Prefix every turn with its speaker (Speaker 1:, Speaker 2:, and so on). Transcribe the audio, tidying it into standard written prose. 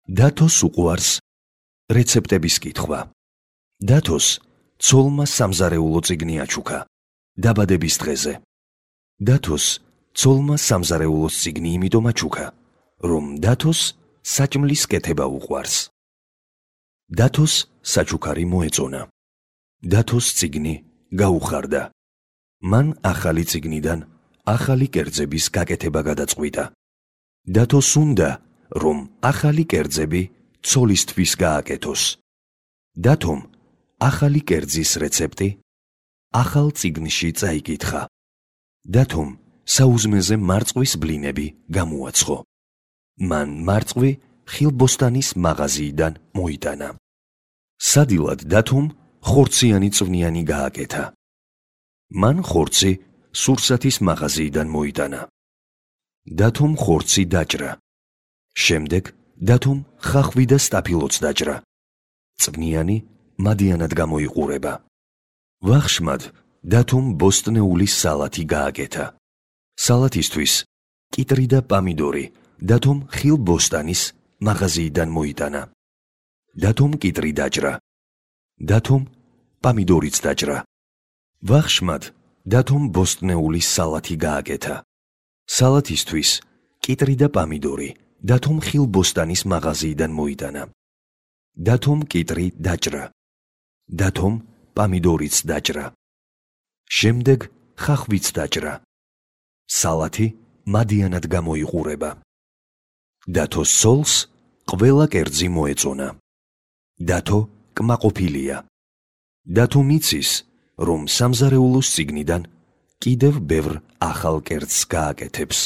Speaker 1: დათოს უყვარს რეცეპტების კითხვა. დათოს ცოლმა სამზარეულო წიგნი აჩუქა დაბადების დღეზე. დათოს ცოლმა სამზარეულოს წიგნი იმიტომ აჩუქა, რომ დათოს საჭმლის კეთება უყვარს. დათოს საჩუქარი მოეწონა. დათოს წიგნი გაუხარდა. მან ახალი წიგნიდან ახალი კერძების გაკეთება გადაწყვიტა. დათოს უნდა, რომ ახალი კერძები ცოლისთვის გააკეთოს. დათომ ახალი კერძის რეცეპტი ახალ წიგნში წაიკითხა. დათომ საუზმეზე მარწყვის ბლინები გამოაცხო. მან მარწყვი ხილბოსტანის მაღაზიიდან მოიტანა. სადილად დათომ ხორციანი წვნიანი გააკეთა. მან ხორცი სურსათის მაღაზიიდან მოიტანა. დათომ ხორცი დაჭრა. შემდეგ დათომ ხახვი და სტაფილოც დაჭრა. წვნიანი მადიანად გამოიყურება. ვახშმად დათომ ბოსტნეული სალათი გააკეთა. სალათისთვის კიტრი და პამიდორი დათომ ხილბოსტანის მაღაზიიდან მოიტანა. დათომ კიტრი დაჭრა. დათომ პამიდორიც დაჭრა. ვახშმად დათომ ბოსტნეული სალათი გააკეთა. სალათისთვის კიტრი და პამიდორი დათომ ხილბოსტანის მაღაზიიდან მოიტანა. დათომ კიტრი დაჭრა. დათომ პამიდორიც დაჭრა. შემდეგ ხახვიც დაჭრა. სალათი მადიანად გამოიყურება. დათოს ცოლს ყველა კერძი მოეწონა. დათო კმაყოფილია. დათო მიცის, რომ სამზარეულოს წიგნიდან კიდევ ბევრ ახალ კერძს გააკეთებს.